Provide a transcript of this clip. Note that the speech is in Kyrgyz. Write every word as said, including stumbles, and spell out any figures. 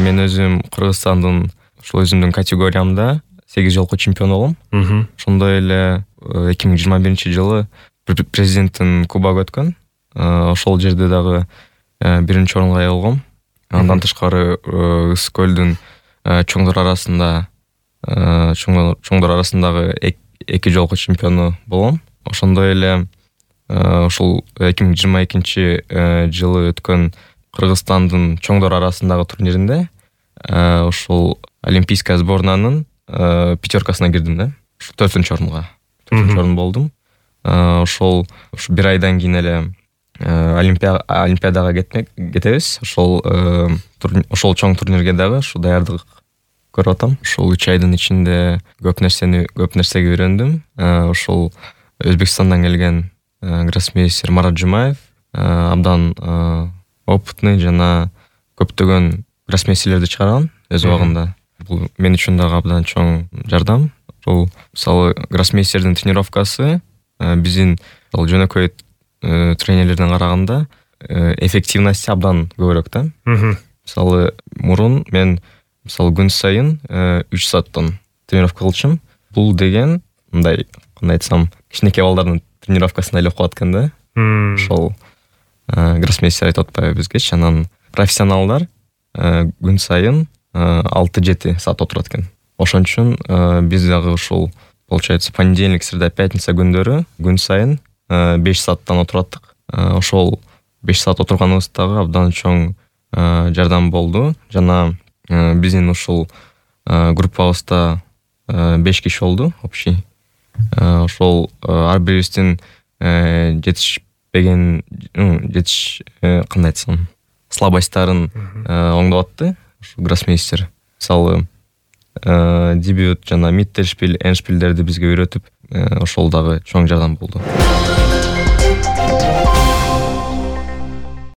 мен өзүм Кыргызстандын ушул өзүмдүн категориямда сегиз жолку чемпион болом. Ошондой эле эки миң жыйырма биринчи жылы президенттин кубогу өткөн. Ошол жерде дагы биринчи орунга ээ болгом. Андан тышкары Ысык көлдүн чоңдор арасында чоңдор арасындагы эки жолку чемпиону болом. Ошондой эле ушул эки миң жыйырма экинчи жылы өткөн Кыргызстандын чоңдор арасындагы турниринде ушул олимпийская сборнанын пятеркасына кирдим да. Ушу төртүнчү орунга. төртүнчү орун болдум. Ошол ушу бир айдан кийин эле олимпиадага кетмек кетебиз. Ошол ошол чоң турнирге дагы ушу даярдык көрүп атам. Ушул үч айдын ичинде көп нерсени көп нерсеге үйрөндүм. Ошол Өзбекстандан келген гроссмейстер Марат Жумаев абдан опытный жана көптөгөн гроссмейстерлерди чыгарган өз убагында. Бул мен үчүн дагы абдан чоң жардам. Бул мисалы гроссмейстердин тренировкасы биздин жөнөкөй тренерлерден караганда эффективности абдан көбүрөөк да. Мисалы мурун мен мисалы күн сайын үч сааттан тренировка кылчумун. Бул деген мындай кандай айтсам, кичинекей балдардын тренировкасына эле окуп аткан да. Ошол гроссмейстер айтып атпайбы бизгечи, анан профессионалдар күн сайын алты жети саат отурат экен. Ошон үчүн биз дагы ушул получается понедельник, среда, пятница күндөрү күн сайын беш сааттан отураттык. Ошол беш саат отурганыбыз дагы абдан чоң жардам болду. Жана биздин ушул группабызда беш киши болду общий. Ошол ар бирибиздин жетишпеген жетиш кандай айтсам, слабостьтарын оңдоп атты ушу гроссмейстер. Мисалы дебют жана миттельшпиль, эндшпильдерди бизге үйрөтүп, ошол дагы чоң жардам болду.